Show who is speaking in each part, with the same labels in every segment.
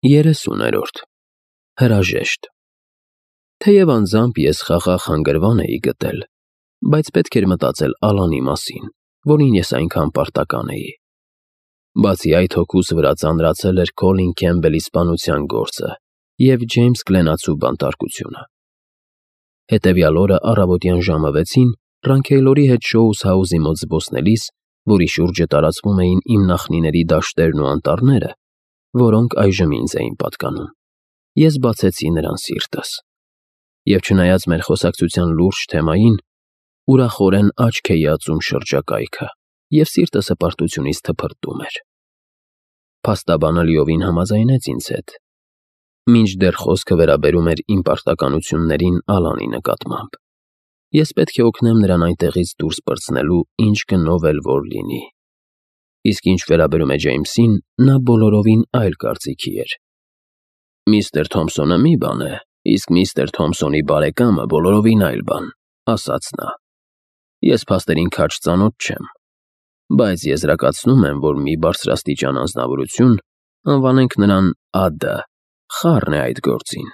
Speaker 1: 30-րդ Հրաժեշտ Թեև անձամբ ես խաղաղ հանգրվան էի գտել, բայց պետք էր մտածել Ալանի մասին, որին ես այնքան պարտական էի։ Բացի այդ, հոգուս վրա ծանրացել էր Քոլին Քեմբելի սպանության գործը և Ջեյմս Գլենացու բանտարկությունը։ Հետևյալ օրը առավոտյան ժամը 6-ին Ռանքեյլորի հետ Շոուս Հաուսի մոտ զբոսնելիս, որի շուրջը տարածվում էին իմ նախնիների դաշտերն ու անտառները, որոնք այժմ ինձ էին պատկանում, ես բացեցի նրան սիրտս։ Եվ չնայած մեր խոսակցության լուրջ թեմային, ուրախորեն աչք էի ածում շրջակայքը, և սիրտս հպարտությունից թփրտում էր։ Փաստաբանը լիովին համաձայնեց ինձ հետ, մինչդեռ խոսքը վերաբերում էր իմ պարտականություններին Ալանի նկատմամբ։ Ես պետք է օգնեմ նրան այնտեղից դուրս պրծնելու, ինչ գնով էլ որ լինի։ Իսկ ինչ վերաբերում է Ջեյմսին, նա բոլորովին այլ կարծիքի էր։ «Միստր Թոմփսոնը մի բան է, իսկ միստր Թոմփսոնի բարեկամը բոլորովին այլ բան», ասաց նա։ «Ես փաստերին քաջ ծանոթ չեմ, բայց եզրակացնում եմ, որ մի բարձրաստիճան անձնավորություն, անվանենք նրան Ա.Դ., խառն է այդ գործին։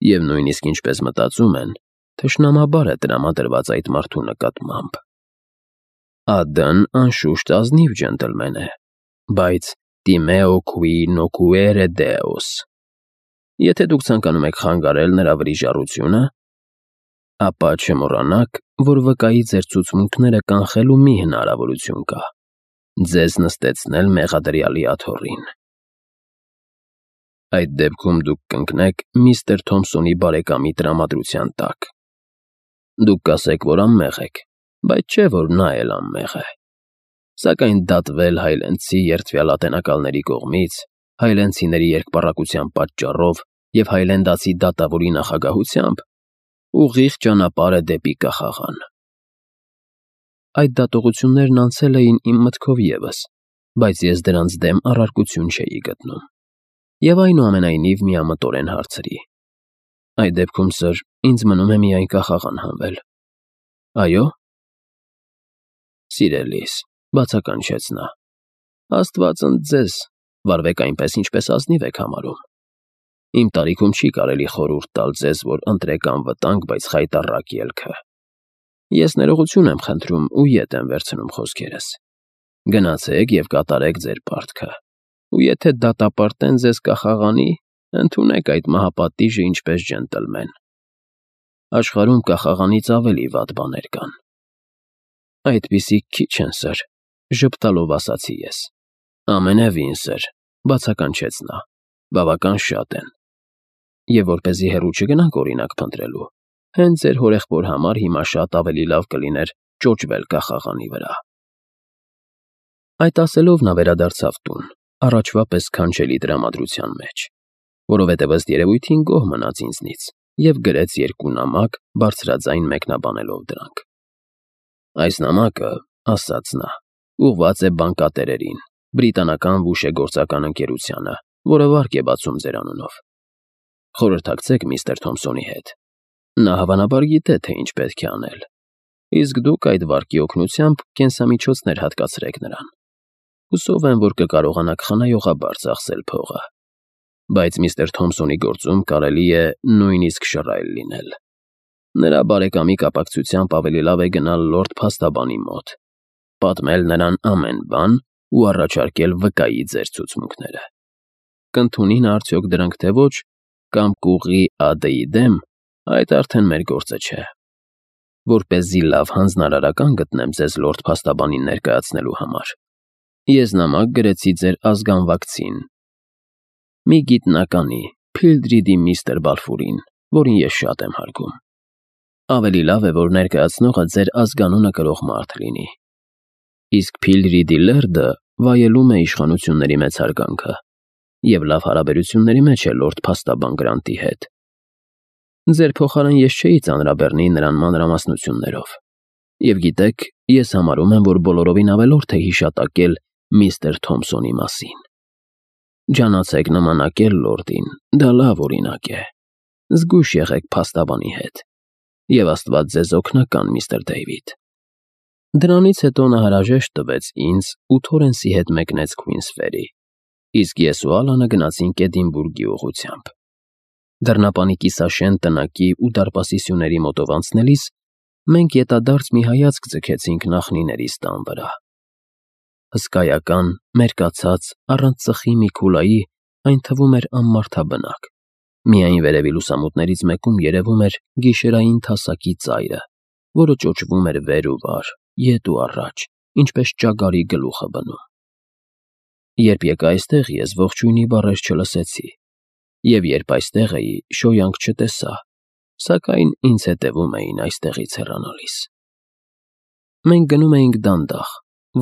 Speaker 1: Եվ նույնիսկ ինչպես մտածում են, թշնամաբար է տրամադրված այդ մարդու նկատմամբ։ Ա.Դ.-ն անշուշտ ազնիվ ջենտլմեն է, բայց timeo qui nocuere Deos։ Եթե դուք ցանկանում եք խանգարել նրա վրիժառությունը, ապա չմոռանաք, որ վկայի ձեր ցուցմունքները կանխելու մի հնարավորություն կա՝ ձեզ նստեցնել մեղադրյալի աթոռին։ Այդ դեպքում դուք կընկնեք միստր Թոմփսոնի բարեկամի տրամադրության տակ։ Դուք կասեք, որ անմեղ եք, բայց չէ, որ նա էլ անմեղ է։ Սակայն դատվել հայլենցի երդվյալ ատենակալների կողմից, հայլենցիների երկպառակության պատճառով և հայլենդացի դատավորի նախագահությամբ ուղիղ ճանապարհ է դեպի կախաղան։ Այդ դատողություններն անցել էին իմ մտքով ևս, բայց ես դրանց դեմ առարկություն չէի գտնում։ Եվ այնուամենայնիվ միամտորեն հարցրի. «Այդ դեպքում, սըր, ինձ մնում է միայն կախաղան հանվել»։ «Այո՞»։ «Սիրելիս», բացականչեց նա, «Աստված ընդ ձեզ, վարվեք այնպես, ինչպես ազնիվ եք համարում։ Իմ տարիքում չի կարելի խորհուրդ տալ ձեզ, որ ընտրեք անվտանգ, բայց խայտառակ ելքը։ Ես ներողություն եմ խնդրում ու ետ եմ վերցնում խոսքերս։ Գնացեք և կատարեք ձեր պարտքը, ու եթե դատապարտեն ձեզ կախաղանի, ընդունեք այդ մահապատիժը ինչպես ջենտլմեն։ Աշխարհում կախաղանից ավելի վատ բաներ կան»։ «Այդպիսիք քիչ են, սըր», ժպտալով ասացի ես։ «Ամենևին, սըր», բացականչեց նա, «բավական շատ են։ Եվ որպեսզի հեռու չգնանք օրինակ փնտրելու, հենց ձեր հորեղբոր համար հիմա շատ ավելի լավ կլիներ ճոճվել կախաղանի վրա»։ Այդ ասելով նա վերադարձավ տուն, առաջվա պես քանչելի տրամադրության մեջ, որովհետև ըստ երևույթին գոհ մնաց ինձնից և գրեց 2 նամակ, բարձրաձայն մեկնաբանելով դրանք։ «Այս նամակը, — ասաց նա, — ուղղված է բանկատերերին, բրիտանական վուշեգործական ընկերությանը, որը վարկ է բացում ձեր անունով։ Խորհրդակցեք միստր Թոմփսոնի հետ. նա հավանաբար գիտե, թե ինչ պետք է անել, իսկ դուք այդ վարկի օգնությամբ կենսամիջոցներ հատկացրեք նրան։ Հուսով եմ, որ կկարողանաք խնայողաբար ծախսել փողը, բայց միստր Թոմփսոնի գործում կարելի է նույնիսկ շռայլ լինել։ Նրա բարեկամի կապակցությամբ ավելի լավ է գնալ լորդ փաստաբանի մոտ, պատմել նրան ամեն բան ու առաջարկել վկայի ձեր ցուցմունքները։ Կընդունի նա արդյոք դրանք թե ոչ, կամ կուղղի Ա.Դ.-ի դեմ, այդ արդեն մեր գործը չէ։ Որպեսզի լավ հանձնարարական գտնեմ ձեզ լորդ փաստաբանին ներկայացնելու համար, ես նամակ գրեցի ձեր ազգանվակցին, մի գիտնականի, Փիլդրիդի միստր Բալֆուրին, որին ես շատ եմ հարգում։ Ավելի լավ է, որ ներկայացնողը ձեր ազգանունը կրող մարդ լինի։ Իսկ Փիլդրիդի լերդը վայելում է իշխանությունների մեծ հարգանքը և լավ հարաբերությունների մեջ է լորդ փաստաբան Գրանտի հետ։ Ձեր փոխարեն ես չէի ծանրաբեռնի նրան մանրամասնություններով։ Եվ գիտեք, ես համարում եմ, որ բոլորովին ավելորդ է հիշատակել միստր Թոմփսոնի մասին։ Ջանացեք նմանակել լորդին, դա լավ օրինակ է։ Զգույշ եղեք փաստաբանի հետ։ Եվ Աստված ձեզ օգնական, միստր Դեյվիդ։ Դրանից հետո նա հրաժեշտ տվեց ինձ ու Թորենսի հետ մեկնեց Քուինսֆերի, իսկ ես ու Ալանը գնացինք Էդինբուրգի ուղղությամբ։ Դռնապանի կիսաշեն տնակի ու դարպասի սյուների մոտով անցնելիս մենք ետադարձ մի հայացք ձգեցինք նախնիներիս տան վրա։ Հսկայական, մերկացած, առանց ծխի մի քուլայի, այն թվում էր անմարդաբնակ։ Միայն վերևի լուսամուտներից մեկում երևում էր գիշերային թասակի ծայրը, որը ճոճվում էր վեր ու վար, ետ ու առաջ, ինչպես ճագարի գլուխը բնում։ Երբ եկա այստեղ, ես ողջույնի բառեր չլսեցի, և երբ այստեղ էի, շոյանք չտեսա, սակայն ինձ հետևում էին այստեղից հեռանալիս։ Մենք գնում էինք դանդաղ,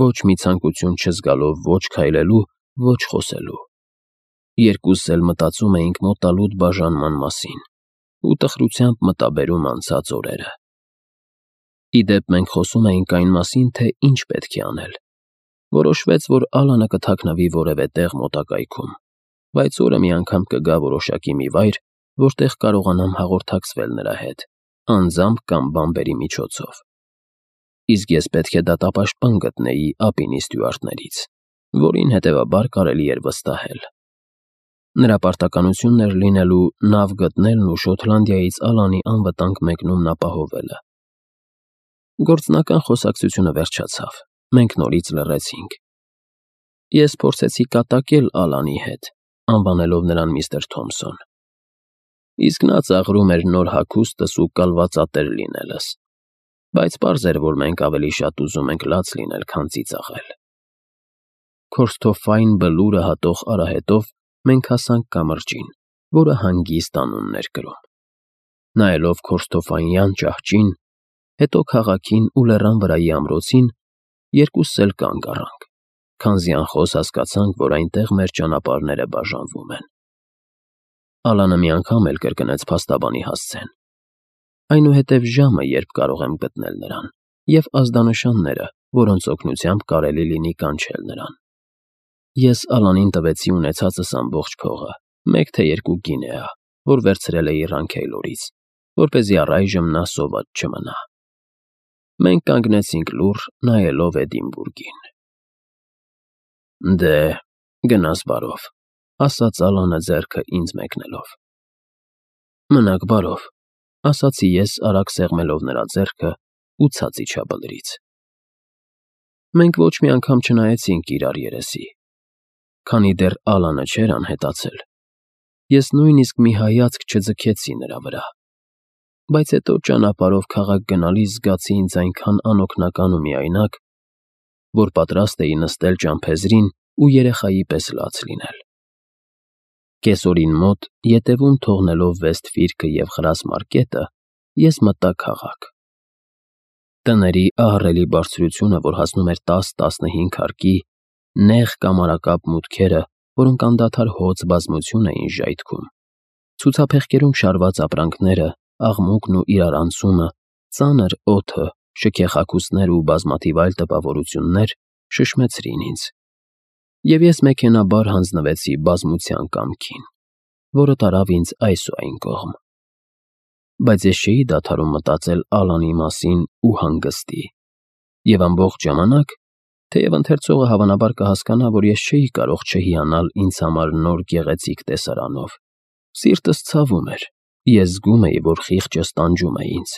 Speaker 1: ոչ մի ցանկություն չզգալով ոչ քայլելու, ոչ խոսելու։ Երկուսս էլ մտածում էինք մոտալուտ բաժանման մասին ու տխրությամբ մտաբերում անցած օրերը։ Ի դեպ, մենք խոսում էինք այն մասին, թե ինչ պետք է անել։ Որոշվեց, որ Ալանը կթաքնվի որևէ տեղ մոտակայքում, բայց օրը մի անգամ կգա որոշակի մի վայր, որտեղ կարողանամ հաղորդակցվել նրա հետ, անձամբ կամ բամբերի միջոցով։ Իսկ ես պետք է դատապաշտպան գտնեի Ապինի ստյուարտներից, որին հետևաբար կարելի էր վստահել։ Նրա պարտականությունն էր լինելու նավ գտնելն ու Շոտլանդիայից Ալանի անվտանգ մեկնումն ապահովելը։ Գործնական խոսակցությունը վերջացավ, մենք նորից լռեցինք։ Ես փորձեցի կատակել Ալանի հետ, անվանելով նրան միստր Թոմսոն։ Իսկ նա ծաղրում էր նոր հագուստս ու կալվածատեր լինելս, բայց պարզ էր, որ մենք ավելի շատ ուզում ենք լաց լինել, քան ծիծաղել։ Քորսթոֆային բլուրը հատող արահետով մենք հասանք կամրջին, որը հանգիստ անունն էր կրում։ Նայելով Քորսթոֆայյան ճահճին, հետո քաղաքին ու լեռան վրայի ամրոցին, երկուսս էլ կանգ առանք, քանզի անխոս հասկացանք, որ այնտեղ մեր ճանապարհները բաժանվում են։ Ալանը մի անգամ էլ կրկնեց փաստաբանի հասցեն։ Այնուհետև ժամը, երբ կարող եմ գտնել նրան, և ազդանշանները, որոնց օգնությամբ կարելի լինի կանչել նրան։ Ես Ալանին տվեցի ունեցածս ամբողջ փողը, մեկ թե երկու գինեա, որ վերցրել էի Ռանքեյլորից, որպեսզի առայժմ նա սոված չմնա։ Մենք կանգնեցինք լուռ, նայելով Էդինբուրգին։ Դե, գնաս բարով, ասաց Ալանը ձեռքը ինձ մեկնելով։ Մնաք բարով, ասացի ես արագ սեղմելով նրա ձեռքը ու ցած իջա բլրից։ Մենք ոչ մի անգամ չնայեցինք իրար երեսի, քանի դեռ Ալանը չէր անհետացել։ Ես նույնիսկ մի հայացք չձգեցի նրա վրա, բայց հետո ճանապարհով քաղաք գնալիս զգացի ինձ այնքան անօգնական ու միայնակ, որ պատրաստ էի նստել ճամփեզրին ու երեխայի պես լաց լինել։ Կեսօրին մոտ, ետևում թողնելով Վեստֆիրքը և Խրասմարկետը, ես մտա քաղաք։ Տների ահռելի բարձրությունը, որ հասնում էր 10-15 հարկի, նեղ կամարակապ մուտքերը, որոնք անդադար հոծ բազմություն էին ժայթքում, ցուցափեղկերում շարված ապրանքները, աղմուկն ու իրարանցումը, ծանր օդը, շքեղ հագուստները ու բազմաթիվ այլ տպավորություններ շշմեցրին ինձ, և ես մեքենաբար հանձնվեցի բազմության կամքին, որը տարավ ինձ այս ու այն կողմ։ Բայց ես չէի դադարում մտածել Ալանի մասին ու հանգստի, և ամբողջ ժամանակ, թեև ընթերցողը հավանաբար կհասկանա, որ ես չէի կարող չհիանալ ինձ համար նոր գեղեցիկ տեսարանով, սիրտս ցավում էր, ես զգում էի, որ խիղճս տանջում է ինձ,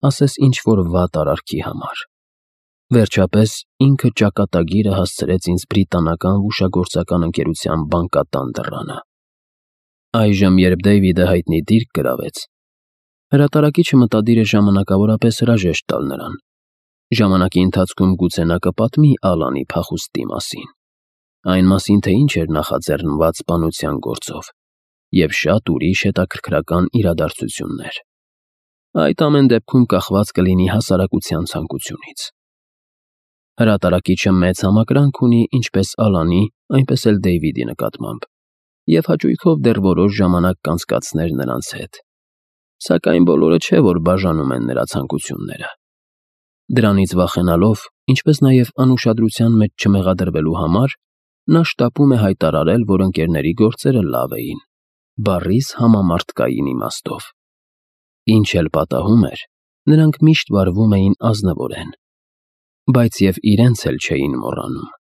Speaker 1: ասես ինչ-որ վատ արարքի համար։ Վերջապես, ինքը ճակատագիրը հասցրեց ինձ բրիտանական հուշագործական ընկերության բանկատան դռանը։ Այժմ, երբ Դեյվիդը հայտնի դիրք գրավեց, հրատարակիչը մտադիր է ժամանակավորապես հրաժեշտ տալ նրան։ Ժամանակի ընթացքում գուցե նա կպատմի Ալանի փախուստի մասին, այն մասին, թե ինչ էր նախաձեռնված սպանության գործով, և շատ ուրիշ հետաքրքրական իրադարձություններ։ Այդ ամեն դեպքում կախված կլինի հասարակության ցանկությունից։ Հրատարակիչը մեծ համակրանք ունի ինչպես Ալանի, այնպես էլ Դեյվիդի նկատմամբ, և հաճույքով դեռ որոշ ժամանակ կանցկացներ նրանց հետ։ Սակայն բոլորը չէ, որ բաժանում են նրա ցանկությունները։ Դրանից վախենալով, ինչպես նաև անուշադրության մեջ չմեղադրվելու համար, նա շտապում է հայտարարել, որ ընկերների գործերը լավ էին, բառիս համամարտկային իմաստով։ Ինչ էլ պատահում էր, նրանք միշտ վարվում էին ազնվորեն, բայց և իրենց էլ չէին մոռանում։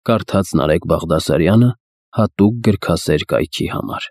Speaker 1: Կարդաց Նարեկ Բաղդասարյանը հատուկ գրքասեր կայքի համար։